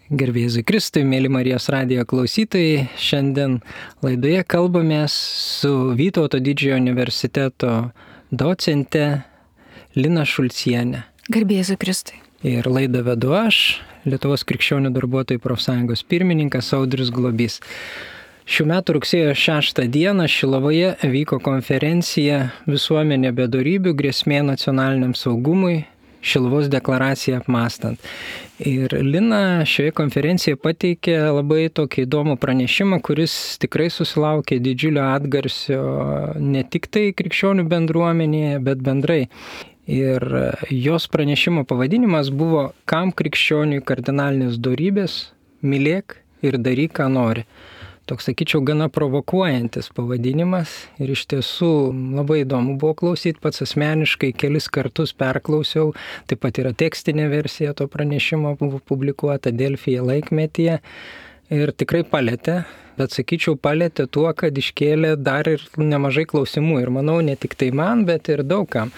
Garbėzui Kristui, mėly Marijos radijo klausytojai, šiandien laidoje kalbamės su Vytauto Didžiojo universiteto docente Lina Šulcienė. Garbėzui Kristui. Ir laidą vedu aš, Lietuvos krikščionių darbuotojų profsąjungos pirmininkas Audrius Globys. Šių metų rugsėjo 6 dieną Šilovoje vyko konferencija Visuomenė be dorybių grėsmė nacionaliniam saugumui, Šiluvos deklaraciją apmąstant. Ir Lina šioje konferencijoje pateikė labai tokį įdomų pranešimą, kuris tikrai susilaukė didžiulio atgarsio ne tik tai krikščionių bendruomenėje, bet bendrai. Ir jos pranešimo pavadinimas buvo Kam krikščioniui kardinalinės dorybės, mylėk ir daryk, ką nori. Toks, sakyčiau, gana provokuojantis pavadinimas ir iš tiesų labai įdomu buvo klausyti, pats asmeniškai kelis kartus perklausiau, taip pat yra tekstinė versija to pranešimo buvo publikuota Delfyje laikmetyje ir tikrai palėtė, bet sakyčiau palėtė tuo, kad iškėlė dar ir nemažai klausimų ir manau ne tik tai man, bet ir daugam.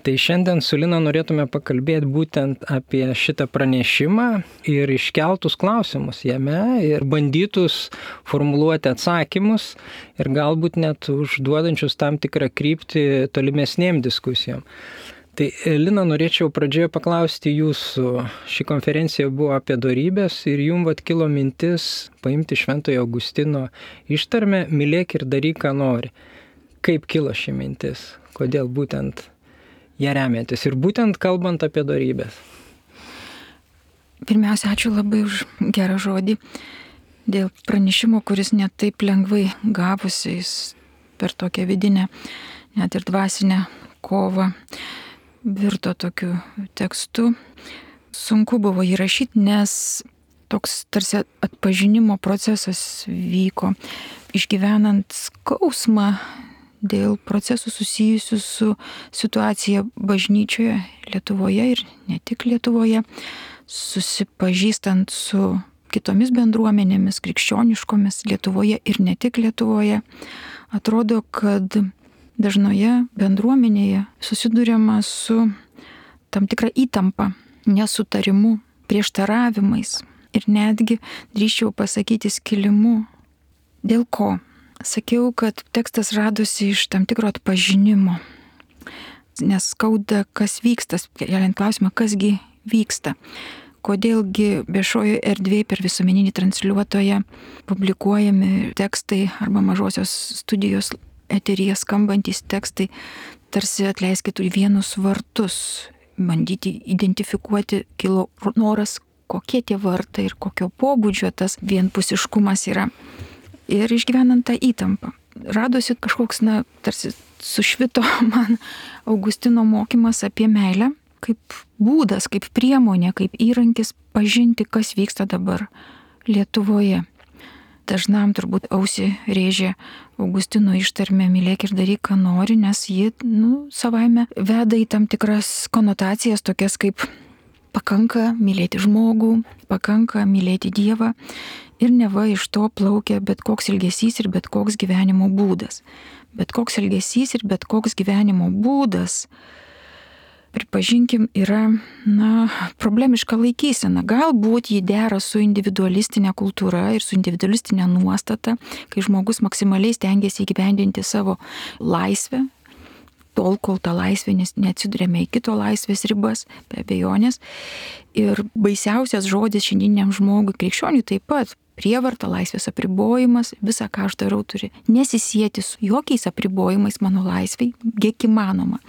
Tai šiandien su Lina norėtume pakalbėti būtent apie šitą pranešimą ir iškeltus klausimus jame ir bandytus formuluoti atsakymus ir galbūt net užduodančius tam tikrą kryptį tolimesnėm diskusijom. Tai Lina, norėčiau pradžioje paklausti jūsų. Ši konferencija buvo apie dorybės ir jums kilo mintis paimti Šventojo Augustino ištarmę mylėk ir daryk, ką nori. Kaip kilo ši mintis? Kodėl būtent ją remiantis ir būtent kalbant apie dorybės? Pirmiausia, ačiū labai už gerą žodį. Dėl pranešimo, kuris net taip lengvai gavosi, jis per tokią vidinę, net ir dvasinę kovą virto tokiu tekstu. Sunku buvo jį rašyti, nes toks tarsi atpažinimo procesas vyko, išgyvenant skausmą dėl procesų susijusių su situacija bažnyčioje Lietuvoje ir ne tik Lietuvoje, susipažįstant su kitomis bendruomenėmis, krikščioniškomis Lietuvoje ir ne tik Lietuvoje, atrodo, kad dažnoje bendruomenėje susiduriama su tam tikra įtampa, nesutarimu, prieštaravimais ir netgi, drįsčiau pasakyti, skilimu. Dėl ko? Sakiau, kad tekstas radosi iš tam tikro atpažinimo, nes skauda, kas vyksta, keliant klausimą, kasgi vyksta. Kodėlgi viešojoje erdvėje per visuomeninį transliuotoją publikuojami tekstai arba mažosios studijos eteryje skambantys tekstai tarsi, atleiskit, turi vienus vartus, bandyti identifikuoti, kilo noras, kokie tie vartai ir kokio pobūdžio tas vienpusiškumas yra. Ir išgyvenant tą įtampą, radosi kažkoks, tarsi sušvito man Augustino mokymas apie meilę, kaip būdas, kaip priemonė, kaip įrankis pažinti, kas vyksta dabar Lietuvoje. Dažnam turbūt ausį rėžė Augustino ištarmė mylėk ir daryk, ką nori, nes ji, savaime veda į tam tikras konotacijas, tokias kaip pakanka mylėti žmogų, pakanka mylėti Dievą. Ir neva iš to plaukia bet koks elgesys ir bet koks gyvenimo būdas. Bet koks elgesys ir bet koks gyvenimo būdas, pripažinkim, yra, problemiška laikysena. Galbūt jį dera su individualistinė kultūra ir su individualistinė nuostata, kai žmogus maksimaliai stengiasi įgyvendinti savo laisvę, tol, kol ta laisvė neatsidurėme į kito laisvės ribas, be abejonės. Ir baisiausias žodis šiandieniam žmogui, krikščioniui taip pat, prievarta, laisvės apribojimas, visa, ką aš darau, turi nesisieti su jokiais apribojimais mano laisvei, kiek įmanoma.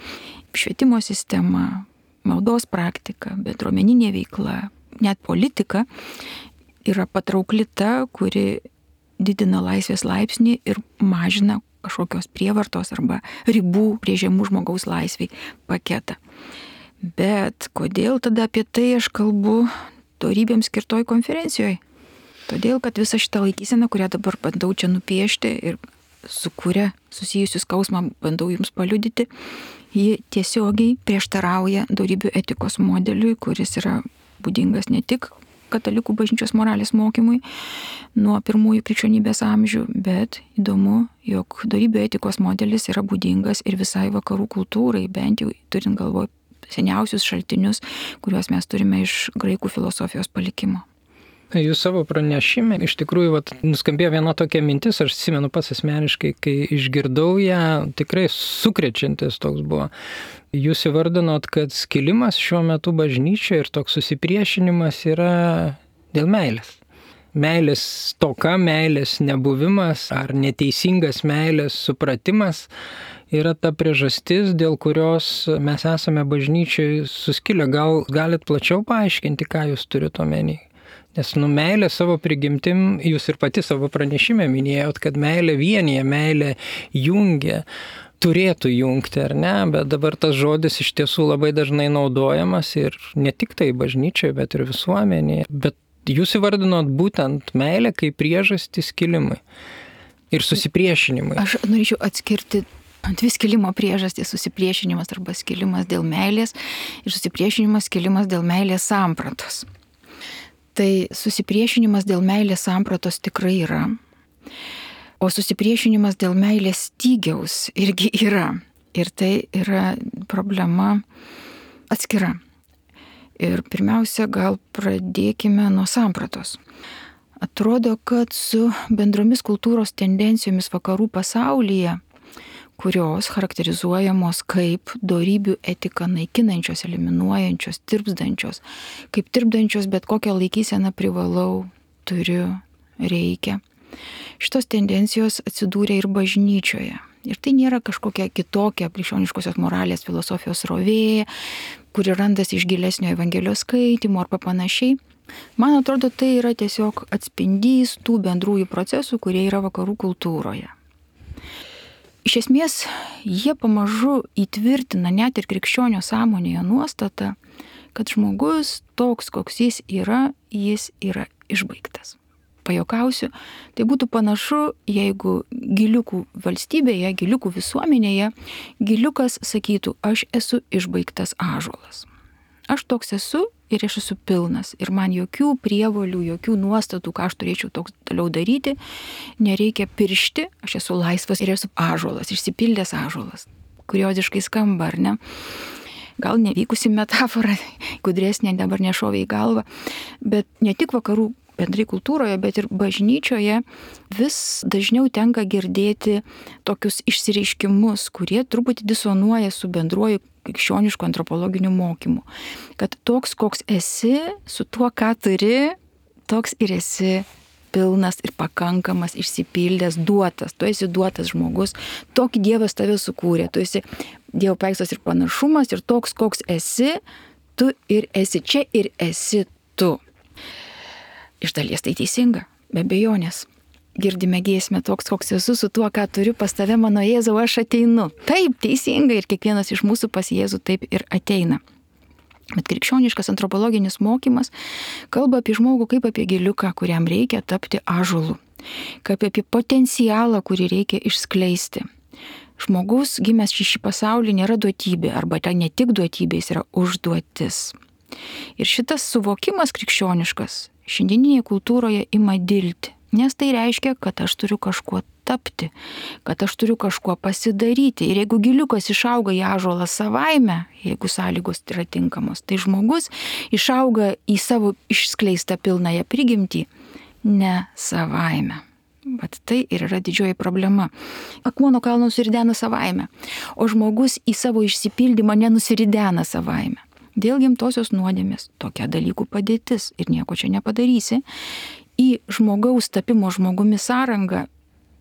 Švietimo sistema, maldos praktika, bendruomeninė veikla, net politika yra patraukli ta, kuri didina laisvės laipsnį ir mažina kažkokios prievartos arba ribų brėžiamų žmogaus laisvei paketą. Bet kodėl tada apie tai aš kalbu dorybėms skirtoj konferencijoje? Todėl, kad visa šita laikysena, kurią dabar bandau čia nupiešti ir su kuria susijusius skausmą bandau jums paliudyti, ji tiesiogiai prieštarauja dorybių etikos modeliui, kuris yra būdingas ne tik katalikų bažnyčios moralės mokymui nuo pirmųjų krikščionybės amžių, bet įdomu, jog dorybių etikos modelis yra būdingas ir visai vakarų kultūrai, bent jau turint galvoj seniausius šaltinius, kuriuos mes turime iš graikų filosofijos palikimo. Jūs savo pranešime, iš tikrųjų, nuskambėjo viena tokia mintis, aš atsimenu pats asmeniškai, kai išgirdau ją, tikrai sukrečiantis toks buvo. Jūs įvardinot, kad skilimas šiuo metu bažnyčioje ir toks susipriešinimas yra dėl meilės. Meilės stoka, meilės nebuvimas ar neteisingas meilės supratimas yra ta priežastis, dėl kurios mes esame bažnyčioje suskilę. Gal galit plačiau paaiškinti, ką jūs turite omeny? Nes meilė savo prigimtim, jūs ir pati savo pranešime minėjot, kad meilė vienyje, meilė jungia, turėtų jungti, ar ne? Bet dabar tas žodis iš tiesų labai dažnai naudojamas ir ne tik tai bažnyčioje, bet ir visuomenėje. Bet jūs įvardinot būtent meilę kaip priežastį skilimui ir susipriešinimui. Aš norėčiau atskirti dvi skilimo priežastys: susipriešinimas arba skilimas dėl meilės ir susipriešinimas, skilimas dėl meilės sampratos. Tai susipriešinimas dėl meilės sampratos tikrai yra, o susipriešinimas dėl meilės stygiaus irgi yra. Ir tai yra problema atskira. Ir pirmiausia, gal pradėkime nuo sampratos. Atrodo, kad su bendromis kultūros tendencijomis vakarų pasaulyje, kurios charakterizuojamos kaip dorybių etiką naikinančios, eliminuojančios, tirpdančios, kaip tirpdančios bet kokią laikyseną privalau, turiu, reikia. Šitos tendencijos atsidūrė ir bažnyčioje. Ir tai nėra kažkokia kitokia krikščioniškosios moralės filosofijos rovė, kuri randasi iš gilesnio Evangelijos skaitimo arba panašiai. Man atrodo, tai yra tiesiog atspindys tų bendrųjų procesų, kurie yra vakarų kultūroje. Iš esmės, jie pamažu įtvirtina net ir krikščionio sąmonėje nuostatą, kad žmogus toks, koks jis yra išbaigtas. Pajuokausiu, tai būtų panašu, jeigu giliukų valstybėje, giliukų visuomenėje, giliukas sakytų: aš esu išbaigtas ąžuolas. Aš toks esu ir aš esu pilnas. Ir man jokių prievolių, jokių nuostatų, ką aš turėčiau toks toliau daryti, nereikia piršti, aš esu laisvas ir esu ąžuolas, išsipildęs ąžuolas. Kurioziškai skamba, ar ne? Gal nevykusi metafora, gudresnė dabar nešovė į galvą, bet ne tik vakarų bendrai kultūroje, bet ir bažnyčioje vis dažniau tenka girdėti tokius išsireiškimus, kurie truputį disonuoja su bendruoju krikščionišku antropologiniu mokymu. Kad toks, koks esi, su tuo, ką turi, toks ir esi pilnas ir pakankamas, išsipildęs, duotas. Tu esi duotas žmogus, tokį Dievas tave sukūrė. Tu esi Dievo paveikslas ir panašumas ir toks, koks esi, tu ir esi čia ir esi tu. Iš dalies tai teisinga, be abejonės. Girdime giesmę toks, koks esu, su tuo, ką turiu, pas tave, mano Jėzau, aš ateinu. Taip, teisinga, ir kiekvienas iš mūsų pas Jėzų taip ir ateina. Bet krikščioniškas antropologinis mokymas kalba apie žmogų kaip apie giliuką, kuriam reikia tapti ąžuolu, kaip apie potencialą, kurį reikia išskleisti. Žmogus gimęs šį pasaulį nėra duotybė, arba tai ne tik duotybė, jis yra užduotis. Ir šitas suvokimas krikščioniškas šiandieninėje kultūroje ima dilti, nes tai reiškia, kad aš turiu kažkuo tapti, kad aš turiu kažkuo pasidaryti. Ir jeigu giliukas išauga į ąžuolą savaime, jeigu sąlygos yra tinkamos, tai žmogus išauga į savo išskleistą pilnąją prigimtį ne savaime. Bet tai ir yra didžioji problema. Akmuo nuo kalno nusiridena savaime, o žmogus į savo išsipildymą nenusiridena savaime. Dėl gimtosios nuodėmės tokia dalykų padėtis ir nieko čia nepadarysi. Į žmogaus tapimo žmogumi sąrangą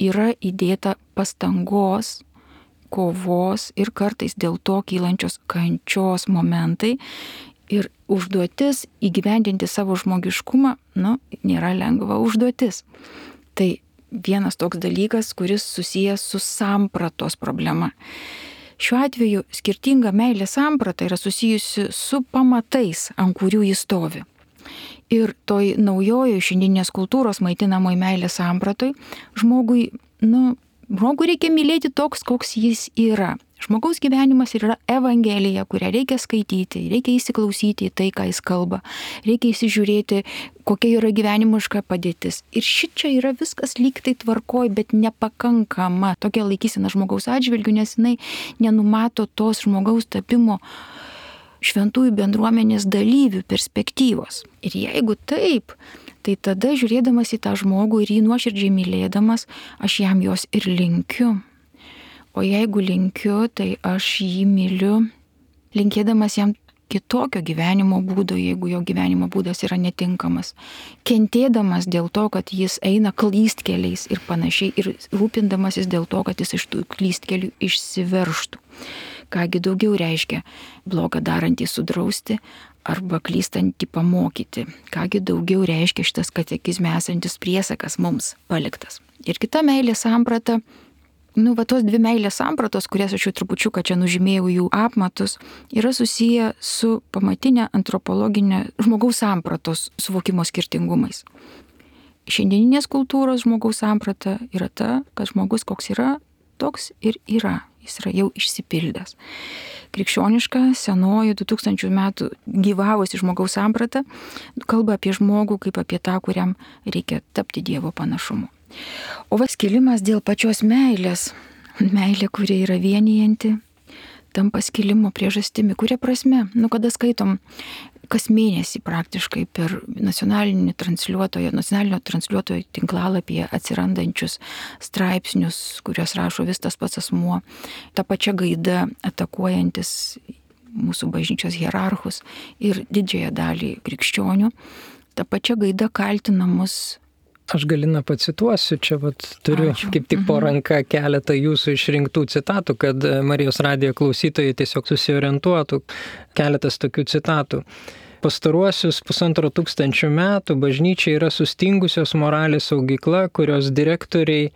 yra įdėta pastangos, kovos ir kartais dėl to kylančios kančios momentai. Ir užduotis įgyvendinti savo žmogiškumą, nėra lengva užduotis. Tai vienas toks dalykas, kuris susijęs su sampratos problema. Šiuo atveju skirtinga meilės samprata yra susijusi su pamatais, ant kurių jis stovi. Ir toj naujojo šiandieninės kultūros maitinamoj meilės sampratoj žmogui reikia mylėti toks, koks jis yra. Žmogaus gyvenimas yra Evangelija, kurią reikia skaityti, reikia įsiklausyti į tai, ką jis kalba, reikia įsižiūrėti, kokia yra gyvenimiška padėtis. Ir šičia yra viskas lyg tai tvarkoj, bet nepakankama tokia laikysena žmogaus atžvilgiu, nes jinai nenumato tos žmogaus tapimo šventųjų bendruomenės dalyvių perspektyvos. Ir jeigu taip, tai tada žiūrėdamas į tą žmogų ir jį nuoširdžiai mylėdamas, aš jam jos ir linkiu. O jeigu linkiu, tai aš jį myliu, linkėdamas jam kitokio gyvenimo būdo, jeigu jo gyvenimo būdas yra netinkamas. Kentėdamas dėl to, kad jis eina klystkeliais ir panašiai, ir rūpindamasis dėl to, kad jis iš tų klystkelių išsiverštų. Kągi daugiau reiškia blogą darantį sudrausti arba klystantį pamokyti. Kągi daugiau reiškia šitas katekizme esantis priesakas mums paliktas. Ir kita meilės samprata, tos dvi meilės sampratos, kurias aš jau trupučiuką čia nužymėjau jų apmatus, yra susiję su pamatinė antropologinė žmogaus sampratos suvokimo skirtingumais. Šiandieninės kultūros žmogaus samprata yra ta, kad žmogus koks yra, toks ir yra. Jis yra jau išsipildęs. Krikščioniška, senoji 2000 metų gyvavusi žmogaus samprata kalba apie žmogų kaip apie tą, kuriam reikia tapti Dievo panašumu. O skilimas dėl pačios meilės, meilė, kuri yra vienijanti, tampa skilimo priežastimi. Kuria prasme? Kada skaitom kas mėnesį praktiškai per nacionalinio transliuotojo tinklalapyje atsirandančius straipsnius, kuriuos rašo vis tas pats asmuo, ta pačia gaida atakuojantis mūsų bažnyčios hierarchus ir didžiąją dalį krikščionių, ta pačia gaida kaltina mus. Aš Galina pacituosiu, čia turiu kaip tik po ranką keletą jūsų išrinktų citatų, kad Marijos radijo klausytojai tiesiog susiorientuotų. Keletas tokių citatų. Pastaruosius 1500 metų bažnyčia yra sustingusios moralės saugykla, kurios direktoriai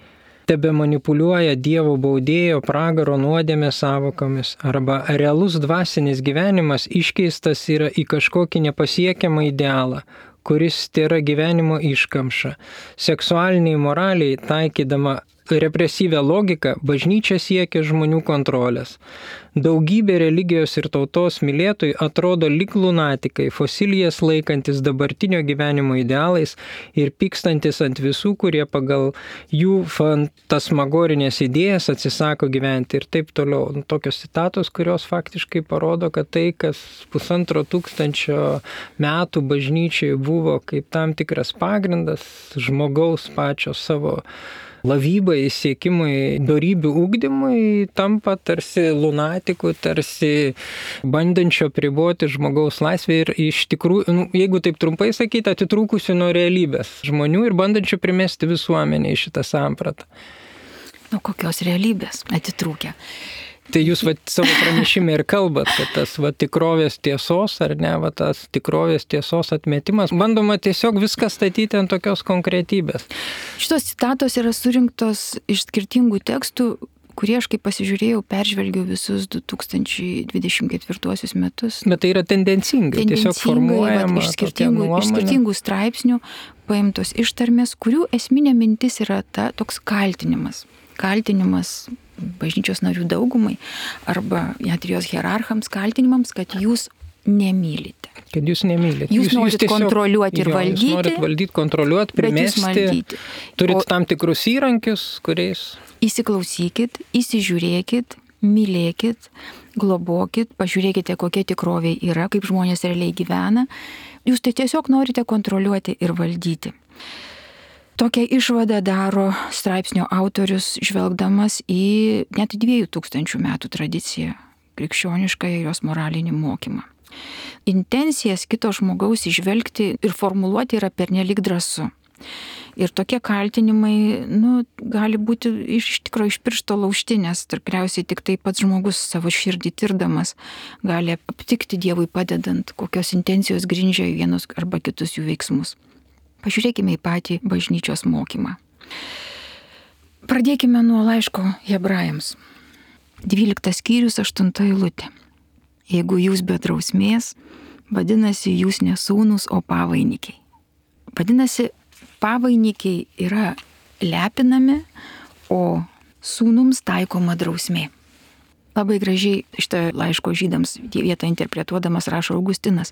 tebe manipuliuoja Dievo baudėjo, pragaro, nuodėmės savokomis, arba realus dvasinis gyvenimas iškeistas yra į kažkokį nepasiekiamą idealą, kuris tėra gyvenimo iškamša. Seksualiniai moraliai, taikydama represyvę logiką, bažnyčia siekia žmonių kontrolės. Daugybė religijos ir tautos mylėtojų atrodo lyg lunatikai, fosilijas laikantis dabartinio gyvenimo idealais ir pykstantis ant visų, kurie pagal jų fantasmagorinės idėjas atsisako gyventi ir taip toliau. Tokios citatos, kurios faktiškai parodo, kad tai, kas 1500 metų bažnyčiai buvo kaip tam tikras pagrindas žmogaus pačio savo lavybai, siekimui, dorybių ugdymui, tampa tarsi lunatikų, tarsi bandančio apriboti žmogaus laisvę ir iš tikrųjų, jeigu taip trumpai sakyti, atitrūkusių nuo realybės žmonių ir bandančių primesti visuomenį į šitą sampratą. Nuo kokios realybės atitrūkę? Tai jūs savo pranešime ir kalbat, kad tas tikrovės tiesos, ar ne, tas tikrovės tiesos atmetimas, bandoma tiesiog viską statyti ant tokios konkretybės. Šitos citatos yra surinktos iš skirtingų tekstų, kurie aš kaip pasižiūrėjau, peržvelgiau visus 2024 metus. Bet tai yra tendencingai tiesiog formuojama iš skirtingų straipsnių paimtos ištarmės, kurių esminė mintis yra toks kaltinimas. Kaltinimas bažnyčios narių daugumai arba net ir jos hierarchams kaltinimams, kad jūs nemylite. Kad jūs nemylite. Jūs norit tiesiog kontroliuoti ir valdyti. Jūs norit valdyti, kontroliuoti, primesti. Turit tam tikrus įrankius, kuriais. Įsiklausykit, įsižiūrėkit, mylėkit, globokit, pažiūrėkite, kokia tikrovė yra, kaip žmonės realiai gyvena. Jūs tai tiesiog norite kontroliuoti ir valdyti. Tokią išvadą daro straipsnio autorius, žvelgdamas į net 2000 metų tradiciją, krikščionišką ir jos moralinį mokymą. Intencijas kito žmogaus įžvelgti ir formuluoti yra pernelyg drąsu. Ir tokie kaltinimai, gali būti iš tikrųjų iš piršto laužti, nes tikriausiai tik tai pats žmogus savo širdį tirdamas gali aptikti Dievui padedant, kokios intencijos grindžia vienus arba kitus jų veiksmus. Pažiūrėkime į patį bažnyčios mokymą. Pradėkime nuo laiško Hebrajams. 12 skyrius 8 eilutė. Jeigu jūs be drausmės, vadinasi, jūs ne sūnūs, o pavainikiai. Vadinasi, pavainikiai yra lepinami, o sūnums taikoma drausmė. Labai gražiai šitą laiško žydams vietą interpretuodamas rašo Augustinas.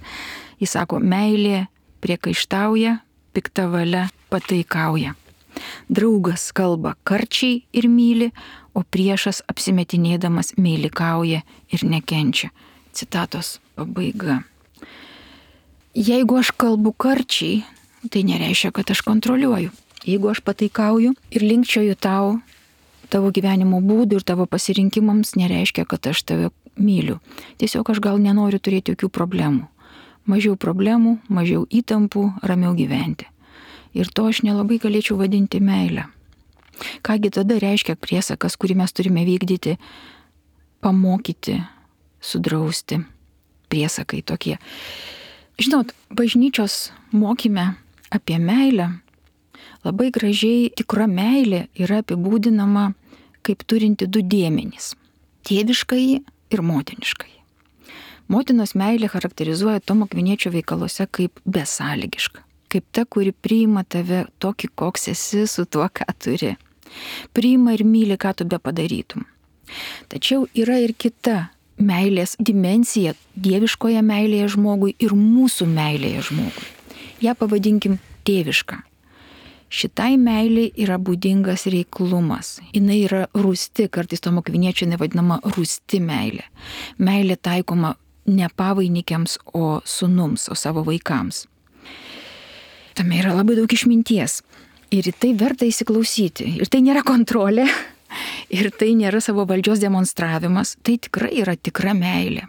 Jis sako, meilė priekaištauja, pikta valia pataikauja. Draugas kalba karčiai ir myli, o priešas apsimetinėdamas meilikauja ir nekenčia. Citatos pabaiga. Jeigu aš kalbu karčiai, tai nereiškia, kad aš kontroliuoju. Jeigu aš pataikauju ir linkčioju tavo gyvenimo būdų ir tavo pasirinkimams, nereiškia, kad aš tave myliu. Tiesiog aš gal nenoriu turėti jokių problemų. Mažiau problemų, mažiau įtampų, ramiau gyventi. Ir to aš nelabai galėčiau vadinti meilę. Kągi tada reiškia priesakas, kurį mes turime vykdyti, pamokyti, sudrausti. Priesakai tokie. Žinot, bažnyčios mokyme apie meilę labai gražiai tikra meilė yra apibūdinama kaip turinti du dėmenys - tėviškąjį ir motiniškąjį. Motinos meilė charakterizuoja Tomo Akviniečio veikaluose kaip besąlygiška, kaip ta, kuri priima tave tokį, koks esi su tuo, ką turi. Priima ir myli, ką tu be padarytum. Tačiau yra ir kita meilės dimensija dieviškoje meilėje žmogui ir mūsų meilėje žmogui. Ja pavadinkim tėvišką. Šitai meiliai yra būdingas reiklumas. Jis yra rūsti, kartais Tomo Akviniečio nevadinama rūsti meilė. Meilė taikoma ne pavainikiams, o sūnums, o savo vaikams. Tame yra labai daug išminties. Ir į tai verta įsiklausyti. Ir tai nėra kontrolė, ir tai nėra savo valdžios demonstravimas. Tai tikrai yra tikra meilė.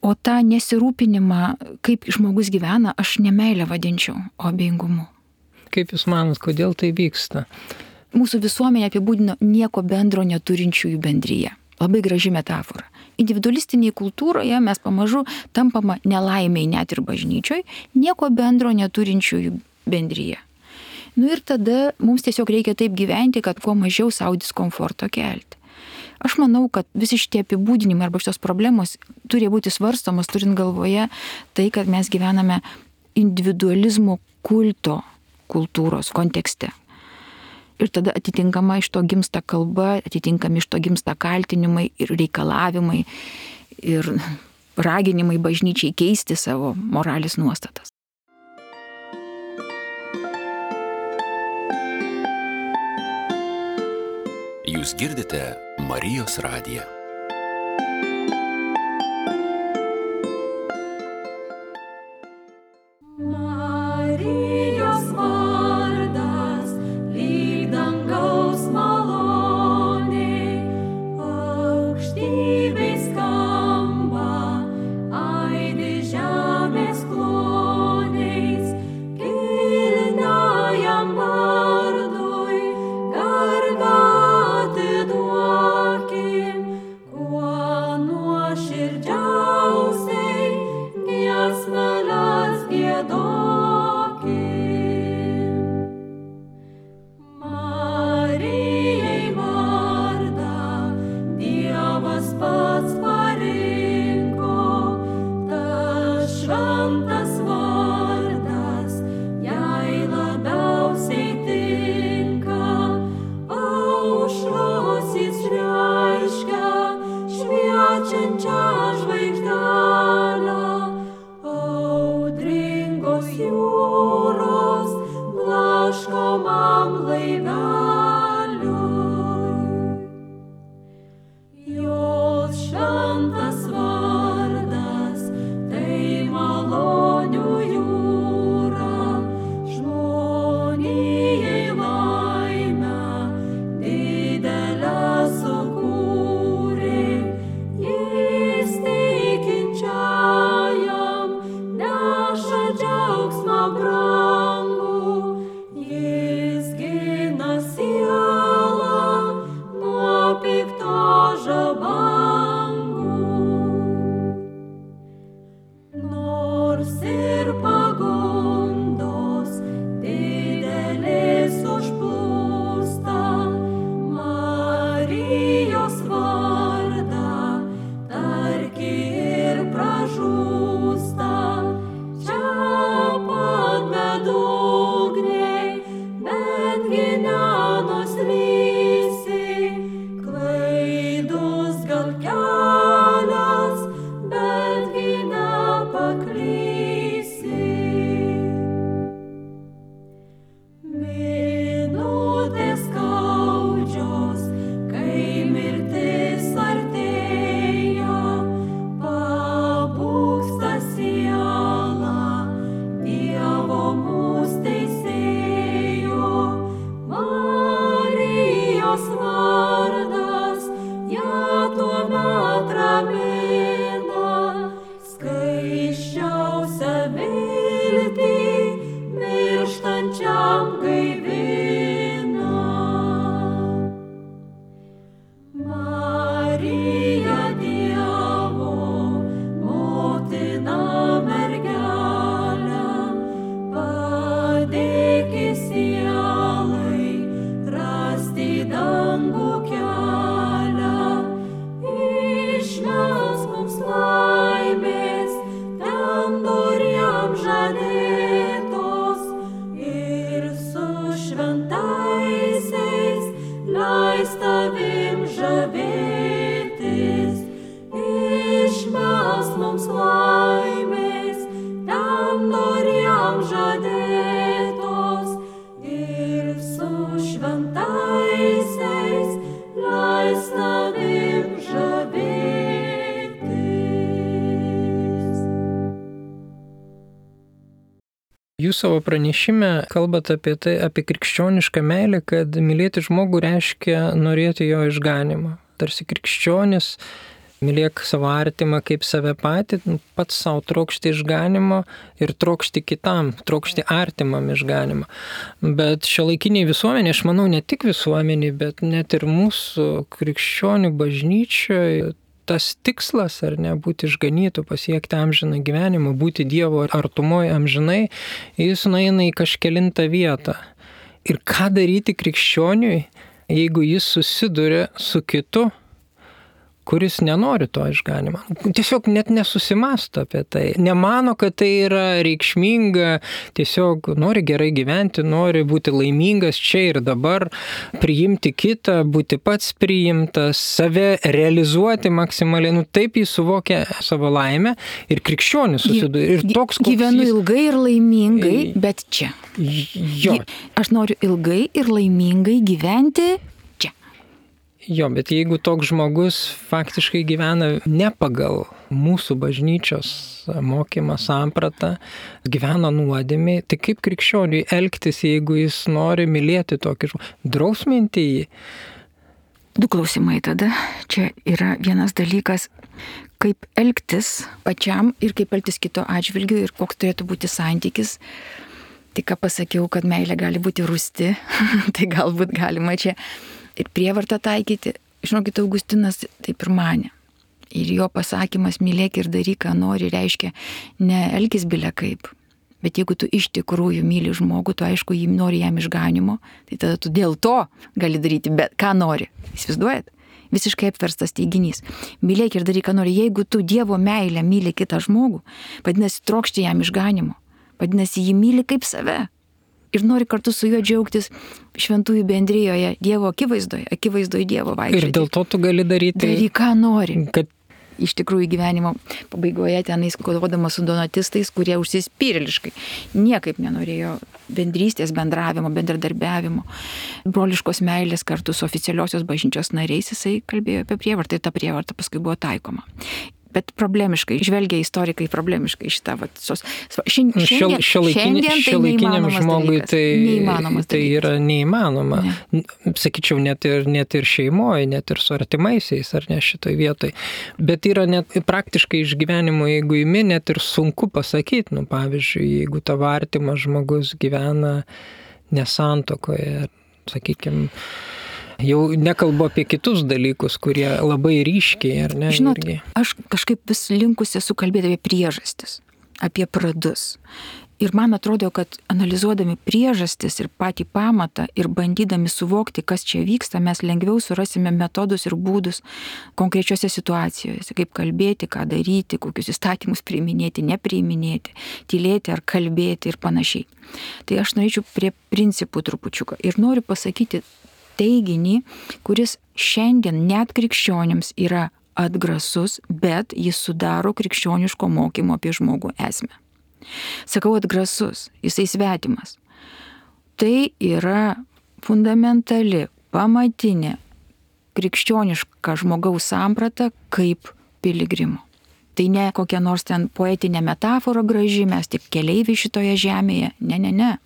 O tą nesirūpinimą, kaip žmogus gyvena, aš ne meilę vadinčiau, o abejingumu. Kaip Jūs manot, kodėl tai vyksta? Mūsų visuomenė apibūdino nieko bendro neturinčiųjų bendryje. Labai graži metafora. Individualistinėje kultūroje mes pamažu tampama nelaimiai net ir bažnyčioj, nieko bendro neturinčiųjų bendryje. Ir tada mums tiesiog reikia taip gyventi, kad kuo mažiau sau diskomforto kelti. Aš manau, kad visi šitie apibūdinimai arba šios problemos turi būti svarstomos, turint galvoje tai, kad mes gyvename individualizmo kulto kultūros kontekste. Ir tada atitinkama iš to gimsta kalba, atitinkami iš to gimsta kaltinimai ir reikalavimai ir raginimai bažnyčiai keisti savo moralės nuostatas. Jūs girdite Marijos radiją. trokštančiam gaivina. Marija Dievo, motina mergelė, padėk sielai rasti dangų kelią, išmelsk mums laimės, ten doriem žadėtos, ir su šventaisiais leis tavim žavėtis. Išmelsk mums laimės, ten doriem žadėtos, ir su šventaisiais leis tavim žavėtis. Jūs savo pranešime kalbate apie krikščionišką meilę, kad mylėti žmogų reiškia norėti jo išganimo. Tarsi krikščionis mylėk savo artimą kaip save patį, pats savo trokšti išganimo ir trokšti kitam, trokšti artimam išganimo. Bet šiuolaikiniai visuomenė, aš manau, ne tik visuomeniai, bet net ir mūsų krikščionių bažnyčioje, tas tikslas, ar ne, būti išganytų, pasiekti amžiną gyvenimą, būti Dievo artumoje amžinai, jis nueina į kažkelintą vietą. Ir ką daryti krikščioniui, jeigu jis susiduria su kitu, kuris nenori to išganimo. Tiesiog net nesusimąsto apie tai. Nemano, kad tai yra reikšminga, tiesiog nori gerai gyventi, nori būti laimingas čia ir dabar, priimti kitą, būti pats priimtas, save realizuoti maksimaliai. Taip jis suvokia savo laimę ir krikščionis susiduria. Ir toks, gyvenu ilgai ir laimingai, bet čia. Jo. Aš noriu ilgai ir laimingai gyventi. Jo, bet jeigu toks žmogus faktiškai gyvena ne pagal mūsų bažnyčios mokymą, sampratą, gyvena nuodėmėj, tai kaip krikščioniui elgtis, jeigu jis nori mylėti tokį žmogų? Drausminti jį? Du klausimai tada. Čia yra vienas dalykas, kaip elgtis pačiam ir kaip elgtis kito atžvilgiu ir koks turėtų būti santykis. Tik ką pasakiau, kad meilė gali būti rūsti, tai galbūt galima čia ir prievartą taikyti. Žinokit, Augustinas taip ir manė. Ir jo pasakymas mylėk ir daryk, ką nori, reiškia ne elkis bile kaip. Bet jeigu tu iš tikrųjų myli žmogų, tu aišku, jį nori jam išganimo, tai tada tu dėl to gali daryti bet ką nori. Įsivaizduojat? Visiškai apverstas teiginys. Mylėk ir daryk, ką nori. Jeigu tu Dievo meilę myli kitą žmogų, vadinasi, trokšti jam išganimo. Vadinasi, jį myli kaip save. Ir nori kartu su juo džiaugtis šventųjų bendrijoje, Dievo akivaizdoje Dievo vaikščioti. Ir dėl to tu gali daryti... Daryk, ką nori. Kad... Iš tikrųjų gyvenimo pabaigoje tenais kovodamas su donatistais, kurie užsispyrėliškai niekaip nenorėjo bendrystės, bendravimo, bendradarbiavimo, broliškos meilės kartu su oficialiosios bažnyčios nariais, jisai kalbėjo apie prievartą ir ta prievarta paskui buvo taikoma. Bet problemiškai, žvelgia istorikai problemiškai šitą. Šiuolaikiniam žmogui tai yra neįmanoma. Ne. Sakyčiau, net ir šeimoje, net ir su artimaisiais, ar ne šitoj vietoj. Bet yra net praktiškai iš gyvenimo, jeigu imi, net ir sunku pasakyti. Pavyzdžiui, jeigu tavo artimas žmogus gyvena nesantuokoje, sakykime, jau nekalbu apie kitus dalykus, kurie labai ryškiai, ar ne? Žinot, aš kažkaip vis linkusi esu kalbėti apie priežastis, apie pradus. Ir man atrodo, kad analizuodami priežastis ir patį pamatą ir bandydami suvokti, kas čia vyksta, mes lengviau surasime metodus ir būdus konkrečiose situacijose, kaip kalbėti, ką daryti, kokius įstatymus priiminėti, nepriiminėti, tylėti ar kalbėti ir panašiai. Tai aš norėčiau prie principų trupučiuką ir noriu pasakyti teiginį, kuris šiandien net krikščionims yra atgrasus, bet jis sudaro krikščioniško mokymo apie žmogų esmę. Sakau atgrasus, jisai svetimas. Tai yra fundamentali, pamatinė krikščioniška žmogaus samprata kaip piligrimo. Tai ne kokia nors ten poetinė metafora graži, mes tik keleiviai šitoje žemėje. Ne.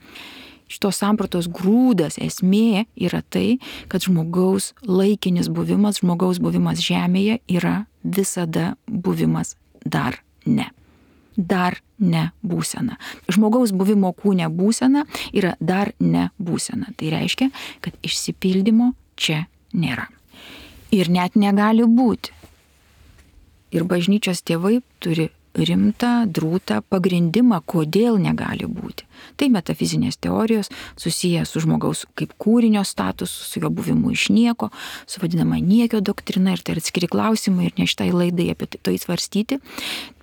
Šitos sampratos grūdas, esmė yra tai, kad žmogaus laikinis buvimas, žmogaus buvimas žemėje yra visada buvimas dar ne. dar ne būsena. Žmogaus buvimo kūne būsena yra dar ne būsena. Tai reiškia, kad išsipildymo čia nėra. Ir net negali būti. Ir bažnyčios tėvai turi rimtą, drūtą pagrindimą, kodėl negali būti. Tai metafizinės teorijos susiję su žmogaus kaip kūrinio statusu, su jo buvimu iš nieko, su vadinama niekio doktrina, ir tai atskiri klausimai ir ne šitai laidai apie tai svarstyti.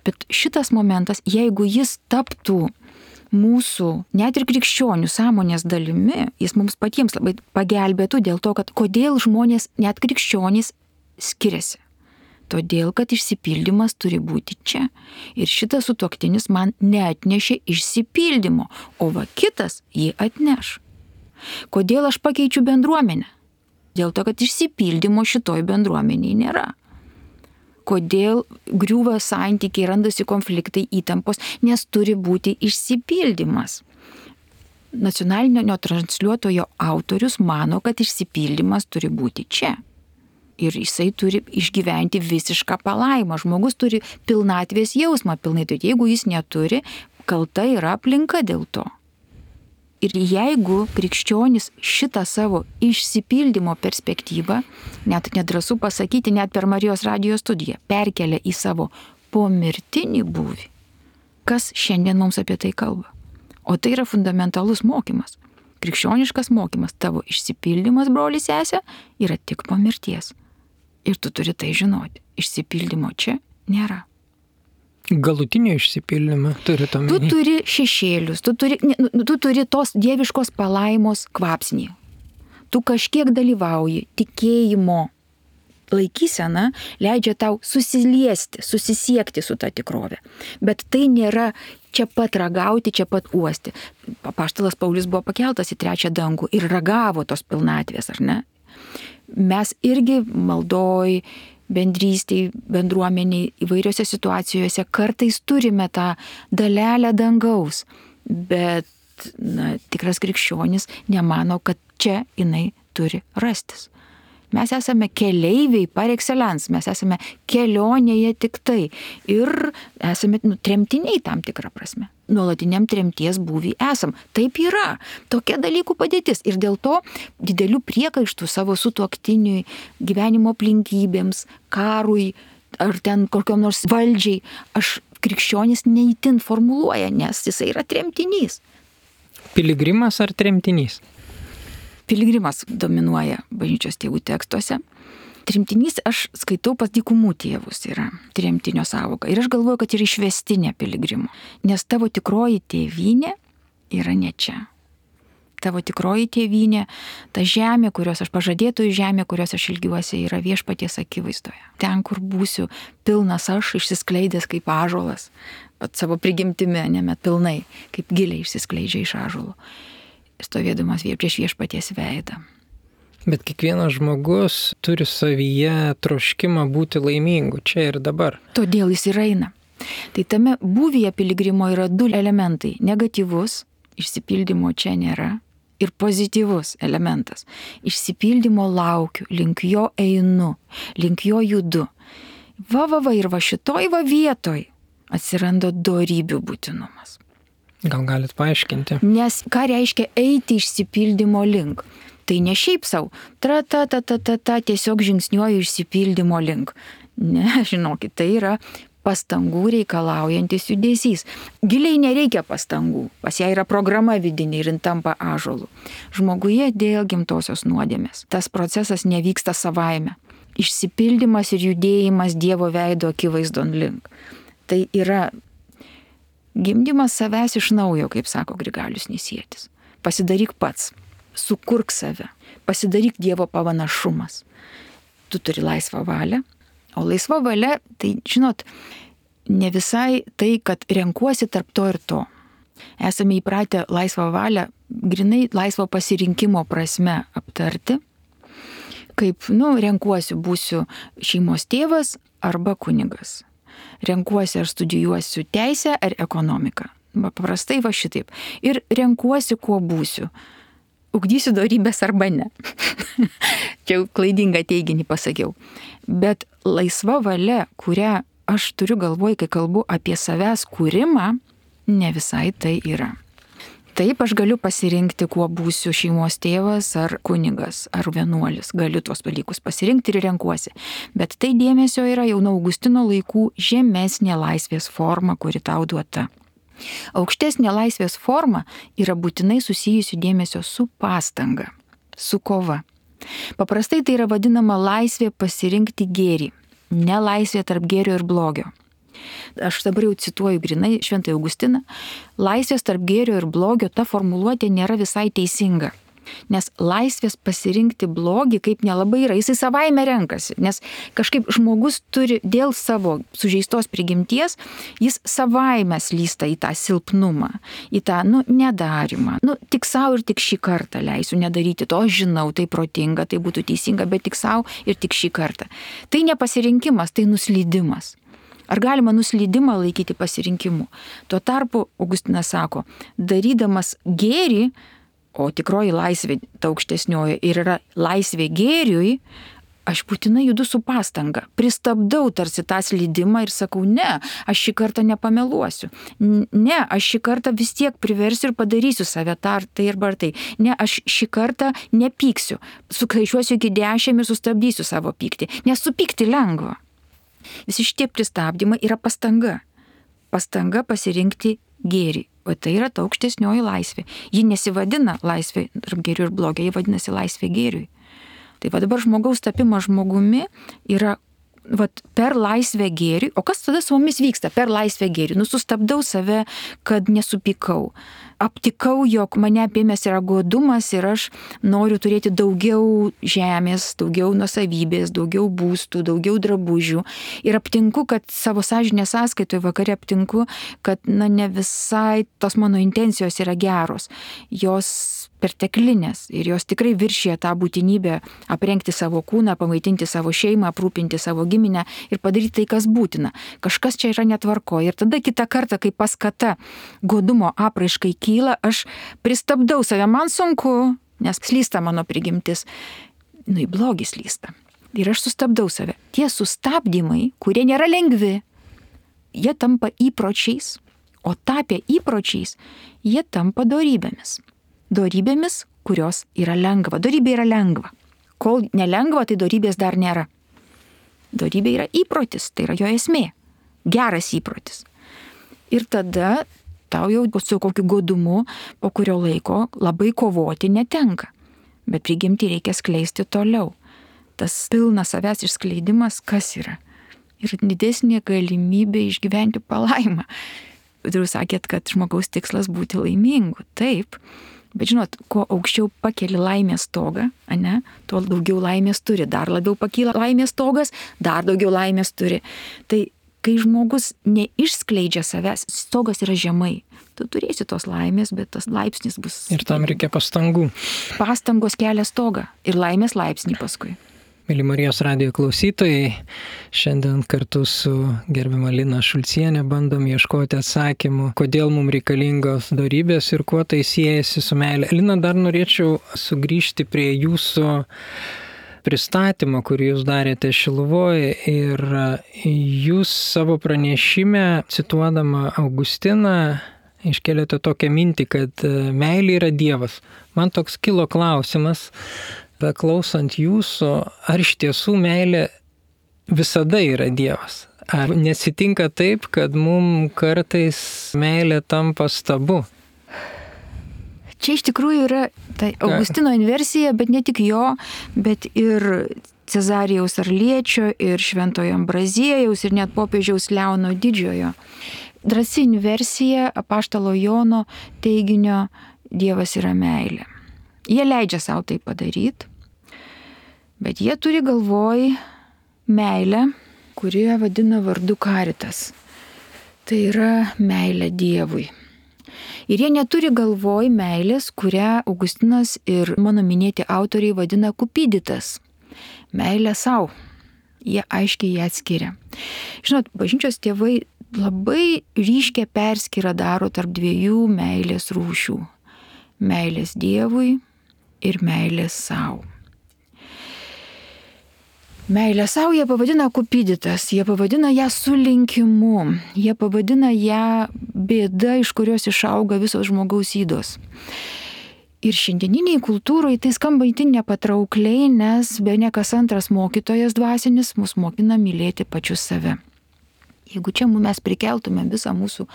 Bet šitas momentas, jeigu jis taptų mūsų, net ir krikščionių sąmonės dalimi, jis mums patiems labai pagelbėtų dėl to, kad kodėl žmonės, net krikščionys, skiriasi. Todėl, kad išsipildymas turi būti čia. Ir šitas sutuoktinis man neatnešė išsipildymo, o va kitas jį atneš. Kodėl aš pakeičiu bendruomenę? Dėl to, kad išsipildymo šitoj bendruomeniai nėra. Kodėl griūva santykiai, randasi konfliktai, įtampos, nes turi būti išsipildymas. Nacionalinio transliuotojo autorius mano, kad išsipildymas turi būti čia. Ir jisai turi išgyventi visišką palaimą. Žmogus turi pilnatvės jausmą pilnai. Tai jeigu jis neturi, kalta yra aplinka dėl to. Ir jeigu krikščionis šitą savo išsipildymo perspektyvą, net nedrąsu pasakyti, net per Marijos radijo studiją, perkelia į savo pomirtinį būvį, kas šiandien mums apie tai kalba? O tai yra fundamentalus mokymas. Krikščioniškas mokymas, tavo išsipildymas, broli sesė, yra tik po mirties. Ir tu turi tai žinoti. Išsipildymo čia nėra. Galutinio išsipildymą turi to minėti. Tu turi šešėlius, tu turi tos dieviškos palaimos kvapsnį. Tu kažkiek dalyvauji, tikėjimo laikysena leidžia tau susiliesti, susisiekti su ta tikrove. Bet tai nėra čia pat ragauti, čia pat uosti. Apaštalas Paulius buvo pakeltas į trečią dangų ir ragavo tos pilnatvės, ar ne? Mes irgi maldoj, bendrystėj, bendruomeniai, įvairiose situacijose kartais turime tą dalelę dangaus, bet tikras krikščionis nemano, kad čia jinai turi rastis. Mes esame keleiviai par excellence, mes esame kelionėje tik tai ir esame tremtiniai tam tikrą prasme. Nuolatiniam tremties būvį esam. Taip yra. Tokia dalykų padėtis. Ir dėl to didelių priekaištų savo sutuoktiniui, gyvenimo aplinkybėms, karui ar ten kokiom nors valdžiai aš krikščionis neįtin formuluoja, nes jisai yra tremtinys. Piligrimas ar tremtinys? Piligrimas dominuoja bažnyčios tėvų tekstuose. Tremtinys aš skaitau pas dykumų tėvus yra tremtinio sąvoka. Ir aš galvoju, kad yra išvestinė piligrimo. Nes tavo tikroji tėvynė yra ne čia. Tavo tikroji tėvynė, ta žemė, kurios aš pažadėtojų žemė, kurios aš ilgiuosi, yra viešpaties akivaizdoje. Ten, kur būsiu pilnas aš, išsiskleidęs kaip ąžuolas, pat savo prigimtimi, nemet pilnai, kaip giliai išsiskleidžia iš ąžuolo, stovėdamas prieš viešpaties veidą. Bet kiekvienas žmogus turi savyje troškimą būti laimingu čia ir dabar. Todėl jis ir eina. Tai tame būvyje piligrimo yra du elementai. Negatyvus, išsipildymo čia nėra, ir pozityvus elementas. Išsipildymo laukiu, link jo einu, link jo judu. Ir va šitoj vietoj atsiranda dorybių būtinumas. Gal galit paaiškinti? Nes ką reiškia eiti išsipildymo link? Tai ne šiaip savo, tiesiog žingsniuoju išsipildymo link. Ne, žinokit, tai yra pastangų reikalaujantis judesys. Giliai nereikia pastangų, pas ją yra programa vidinė ir jin tampa ąžuolu. Žmoguje dėl gimtosios nuodėmės. Tas procesas nevyksta savaime. Išsipildymas ir judėjimas Dievo veido akivaizdon link. Tai yra gimdymas savęs iš naujo, kaip sako Grigalius Nisietis. Pasidaryk pats, sukurk save, pasidaryk Dievo pavanašumas. Tu turi laisvą valią, o laisva valia, tai žinot, ne visai tai, kad renkuosi tarp to ir to. Esame įpratę laisvą valią, grinai laisvo pasirinkimo prasme aptarti, kaip, renkuosi, būsiu šeimos tėvas arba kunigas. Renkuosi, ar studijuosiu teisę ar ekonomiką. Paprastai va šitaip. Ir renkuosi, kuo būsiu. Ugdysiu dorybės arba ne. Čia jau klaidingą teiginį pasakiau. Bet laisva valia, kurią aš turiu galvoj, kai kalbu apie savęs kūrimą, ne visai tai yra. Taip, aš galiu pasirinkti, kuo būsiu šeimos tėvas ar kunigas ar vienuolis. Galiu tuos dalykus pasirinkti ir renkuosi. Bet tai dėmesio yra jau nuo Augustino laikų žemesnė laisvės forma, kuri tau duota. Aukštesnė laisvės forma yra būtinai susijusi dėmesio su pastanga, su kova. Paprastai tai yra vadinama laisvė pasirinkti gėrį, ne laisvė tarp gėrio ir blogio. Aš dabar jau cituoju grinai Šventąjį Augustiną, laisvės tarp gėrio ir blogio ta formuluotė nėra visai teisinga. Nes laisvės pasirinkti blogį kaip nelabai yra, jisai savaime renkasi, nes kažkaip žmogus turi dėl savo sužeistos prigimties, jis savaime slysta į tą silpnumą, į tą, nedarimą. Tik savo ir tik šį kartą leisiu nedaryti to, žinau, tai protinga, tai būtų teisinga, bet tik savo ir tik šį kartą. Tai ne pasirinkimas, tai nuslydimas. Ar galima nuslydimą laikyti pasirinkimu? Tuo tarpu Augustinas sako, darydamas gėrį, o tikroji laisvė, ta aukštesnioji, ir yra laisvė gėriui, aš būtinai judu su pastanga. Pristabdau tarsi tą slydimą ir sakau, ne, aš šį kartą nepameluosiu. Ne, aš šį kartą vis tiek priversiu ir padarysiu save tai arba tai. Ne, aš šį kartą nepyksiu. Sukaičiuosiu iki 10 ir sustabdysiu savo pyktį. Nes supykti lengva. Visi šitie pristabdymai yra pastanga. Pastanga pasirinkti gėrį. O tai yra ta aukštesnioji laisvė. Ji nesivadina laisvė tarp gėrių ir blogio, ji vadinasi laisvė gėriui. Tai va dabar žmogaus tapimas žmogumi yra per laisvę gėriui. O kas tada su mumis vyksta per laisvę gėriui? Sustabdau save, kad nesupykau. Aptikau, jog mane apėmęs yra godumas ir aš noriu turėti daugiau žemės, daugiau nuosavybės, daugiau būstų, daugiau drabužių. Ir aptinku, kad savo sąžinės sąskaitoje vakare aptinku, kad ne visai tos mano intencijos yra geros. Jos perteklinės ir jos tikrai viršija tą būtinybę aprengti savo kūną, pamaitinti savo šeimą, aprūpinti savo giminę ir padaryti tai, kas būtina. Kažkas čia yra netvarko. Ir tada kitą kartą, kai paskata godumo apraiškai kyla, aš pristabdau save, man sunku, nes slysta mano prigimtis. Į blogį slysta. Ir aš sustabdau save. Tie sustabdymai, kurie nėra lengvi, jie tampa įpročiais, o tapę įpročiais, jie tampa dorybėmis. Dorybėmis, kurios yra lengva. Dorybė yra lengva. Kol nelengva, tai dorybės dar nėra. Dorybė yra įprotis, tai yra jo esmė. Geras įprotis. Ir tada tau jau su kokiu godumu po kurio laiko labai kovoti netenka. Bet prigimtį reikia skleisti toliau. Tas pilnas savęs išskleidimas kas yra? Ir didesnė galimybė išgyventi palaimą. Jūs sakėt, kad žmogaus tikslas būti laimingu. Taip. Bet žinot, kuo aukščiau pakeli laimės stogą, tuo daugiau laimės turi. Dar labiau pakyla laimės stogas, dar daugiau laimės turi. Tai kai žmogus neišskleidžia savęs, stogas yra žemai. Tu turėsi tos laimės, bet tas laipsnis bus... Ir tam reikia pastangų. Pastangos kelia stogą ir laimės laipsnį paskui. Mėly Marijos radijo klausytojai, šiandien kartu su gerbiama Lina Šulcienė bandom ieškoti atsakymų, kodėl mums reikalingos dorybės ir kuo tai siejasi su meilė. Lina, dar norėčiau sugrįžti prie jūsų pristatymo, kurį jūs darėte Šiluvoje, ir jūs savo pranešime, cituodama Augustiną, iškelėte tokią mintį, kad meilė yra Dievas. Man toks kilo klausimas, klausant jūsų, ar iš tiesų meilė visada yra Dievas? Ar nesitinka taip, kad mums kartais meilė tampa stabu? Čia iš tikrųjų yra tai Augustino inversija, bet ne tik jo, bet ir Cezarijaus Arliečio, ir Šventojo Ambraziejaus, ir net popiežiaus Leono Didžiojo. Drąsi inversija apaštalo Jono teiginio Dievas yra meilė. Jie leidžia savo tai padaryti, bet jie turi galvoj meilę, kurią vadina vardu karitas. Tai yra meilė Dievui. Ir jie neturi galvoj meilės, kurią Augustinas ir mano minėti autoriai vadina kupiditas. Meilė savo. Jie aiškiai ją atskiria. Žinot, bažnyčios tėvai labai ryškią perskyrą daro tarp dviejų meilės rūšių. Meilės Dievui ir meilės savo. Meilę savo jie pavadina kupiditas, jie pavadina ją sulinkimu, jie pavadina ją bėda, iš kurios išauga visos žmogaus ydos. Ir šiandieniniai kultūrai tai skamba itin nepatraukliai, nes be ne kas antras mokytojas dvasinis mus mokina mylėti pačius save. Jeigu čia mes prikeltume visą mūsų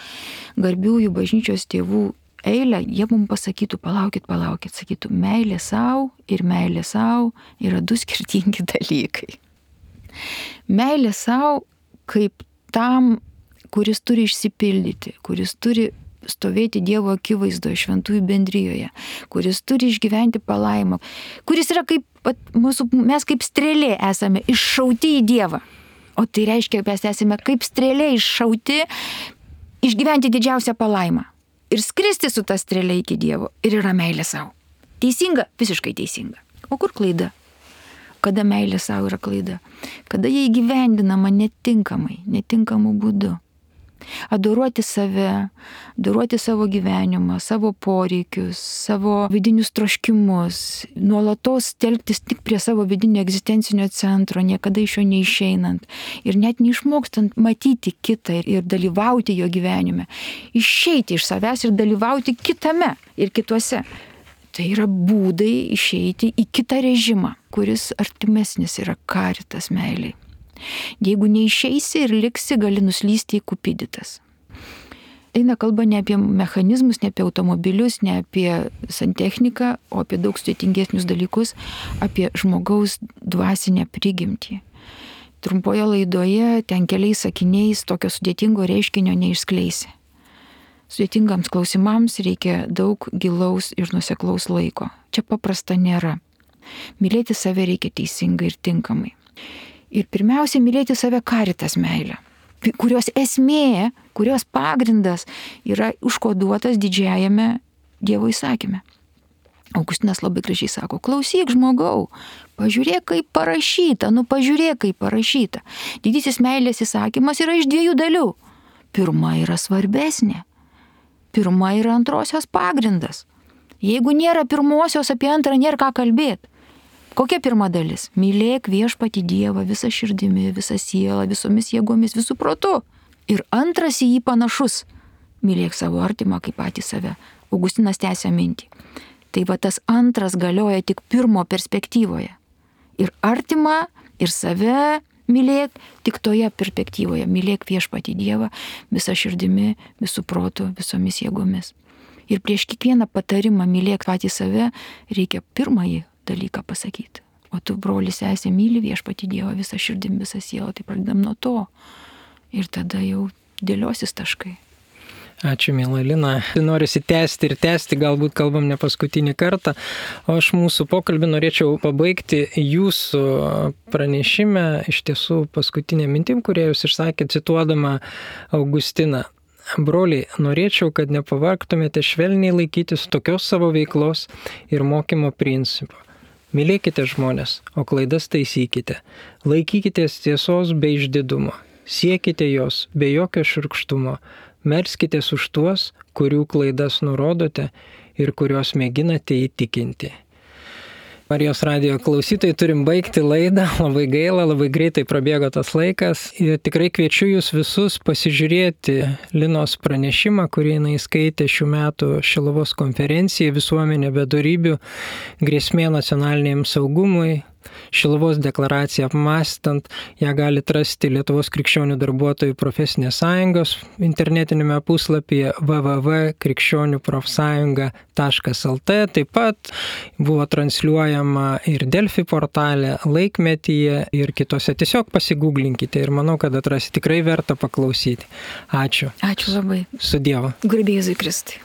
garbiųjų bažnyčios tėvų eilę, jie mums pasakytų, palaukit, sakytų, meilė savo ir meilė savo yra du skirtingi dalykai. Meilė savo kaip tam, kuris turi išsipildyti, kuris turi stovėti Dievo akivaizdoje, šventųjų bendrijoje, kuris turi išgyventi palaimą, kuris yra kaip, mes kaip strėlė esame iššauti į Dievą. O tai reiškia, mes esame kaip strėlė iššauti, išgyventi didžiausią palaimą. Ir skristi su ta strėlė iki Dievo. Ir yra meilė savo. Teisinga? Visiškai teisinga. O kur klaida? Kada meilė savo yra klaida? Kada jie įgyvendinama netinkamai, netinkamu būdu. Adoruoti save, adoruoti savo gyvenimą, savo poreikius, savo vidinius troškimus, nuolatos telktis tik prie savo vidinio egzistencinio centro, niekada iš jo neišeinant ir net neišmokstant matyti kitą ir dalyvauti jo gyvenime, išeiti iš savęs ir dalyvauti kitame ir kituose. Tai yra būdai išeiti į kitą režimą, kuris artimesnis yra karitas meiliai. Jeigu neišeisi ir liksi, gali nuslysti į kupiditas. Eina kalba ne apie mechanizmus, ne apie automobilius, ne apie santechniką, o apie daug sudėtingesnius dalykus, apie žmogaus dvasinę prigimtį. Trumpoje laidoje ten keliais sakiniais tokio sudėtingo reiškinio neišskleisi. Sudėtingams klausimams reikia daug gilaus ir nuoseklaus laiko. Čia paprasta nėra. Mylėti save reikia teisingai ir tinkamai. Ir pirmiausia, mylėti save karitas meilę, kurios esmė, kurios pagrindas yra užkoduotas didžiajame Dievo įsakyme. Augustinas labai gražiai sako, klausyk žmogau, pažiūrėk kaip parašyta, pažiūrėk kaip parašyta. Didysis meilės įsakymas yra iš 2 dalių. Pirma yra svarbesnė, pirma yra antrosios pagrindas. Jeigu nėra pirmosios, apie antrą nėra ką kalbėti. Kokia pirma dalis? Mylėk viešpatį Dievą visą širdimi, visą sielą, visomis jėgomis, visų protu. Ir antras į jį panašus. Mylėk savo artimą kaip patį save. Augustinas tęsia mintį. Tai va tas antras galioja tik pirmo perspektyvoje. Ir artimą, ir save mylėk tik toje perspektyvoje. Mylėk viešpatį Dievą visą širdimi, visų protu, visomis jėgomis. Ir prieš kiekvieną patarimą mylėk patį save reikia pirmąjį dalyką pasakyti. O tu, brolis, sesė, myli viešpatį Dievą visą širdim, visą sielą. Tai pradedam nuo to. Ir tada jau dėliosis taškai. Ačiū, miela Lina. Norisi tęsti ir tęsti, galbūt kalbam ne paskutinį kartą. O aš mūsų pokalbį norėčiau pabaigti jūsų pranešime, iš tiesų paskutinė mintim, kurią jūs išsakėte, cituodama Augustiną. Broliai, norėčiau, kad nepavargtumėte švelniai laikytis tokios savo veiklos ir mokymo principų. Mylėkite žmonės, o klaidas taisykite. Laikykitės tiesos be išdidumo. Siekite jos be jokio šiurkštumo. Melskitės už tuos, kurių klaidas nurodote ir kuriuos mėginate įtikinti. Marijos radijo klausytojai, turim baigti laidą, labai gaila, labai greitai prabėgo tas laikas ir tikrai kviečiu jūs visus pasižiūrėti Linos pranešimą, kurį jinai skaitė šių metų Šiluvos konferencijai Visuomenė be dorybių, grėsmė nacionaliniam saugumui. Šiluvos deklaraciją apmąstant, ją galite rasti Lietuvos krikščionių darbuotojų profesinės sąjungos internetinėme puslapyje www.krikščioniuprofsąjunga.lt. Taip pat buvo transliuojama ir Delfi portale, Laikmetyje ir kitose. Tiesiog pasigūglinkite ir manau, kad atrasite, tikrai verta paklausyti. Ačiū. Ačiū labai. Su Dievu. Garbė Jėzui Kristui.